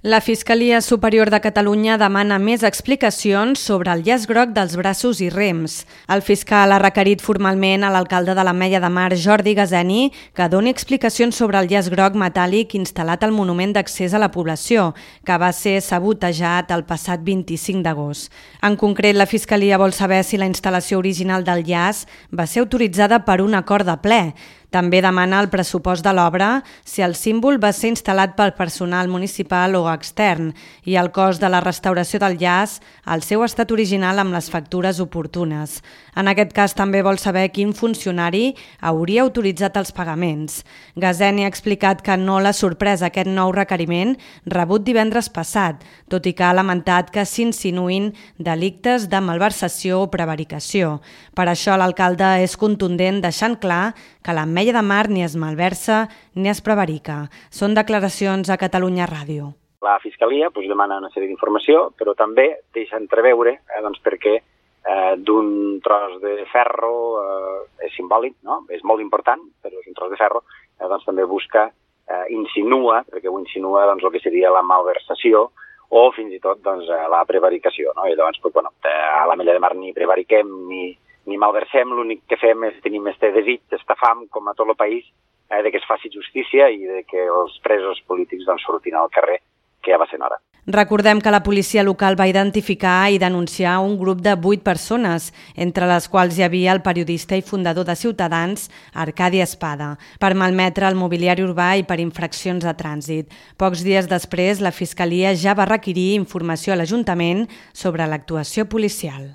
La Fiscalia Superior de Catalunya demana més explicacions sobre el llaç groc dels braços i rems. El fiscal ha requerit formalment a l'alcalde de l'Ametlla de Mar, Jordi Gazeni, que doni explicacions sobre el llaç groc metàl·lic instal·lat al monument d'accés a la població, que va ser sabotejat el passat 25 d'agost. En concret, la Fiscalia vol saber si la instal·lació original del llaç va ser autoritzada per un acord de ple. També demana el pressupost de l'obra, si el símbol va ser instal·lat pel personal municipal o extern i el cost de la restauració del llaç, el seu estat original amb les factures oportunes. En aquest cas també vol saber quin funcionari hauria autoritzat els pagaments. Gazeni ha explicat que no l'ha sorprès aquest nou requeriment rebut divendres passat, tot i que ha lamentat que s'insinuïn delictes de malversació o prevaricació. Per això l'alcalde és contundent deixant clar que l'Ametlla de Mar ni es malversa ni es prevarica. Són declaracions a Catalunya Ràdio. La Fiscalia demana una sèrie d'informació, però també deixa entreveure perquè d'un tros de ferro és simbòlic, no? És molt important, però és un tros de ferro, també busca, insinua, perquè ho insinua el que seria la malversació o fins i tot la prevaricació. No? I llavors, a l'Ametlla de Mar ni prevariquem ni malversem, l'únic que fem és tenir este desig, esta fam, com a tot el país, de que es faci justícia i de que els presos polítics surtin al carrer, que ja va ser hora. Recordem que la policia local va identificar i denunciar un grup de 8 persones, entre les quals hi havia el periodista i fundador de Ciutadans, Arcadi Espada, per malmetre el mobiliari urbà i per infraccions de trànsit. Pocs dies després, la Fiscalia ja va requerir informació a l'Ajuntament sobre l'actuació policial.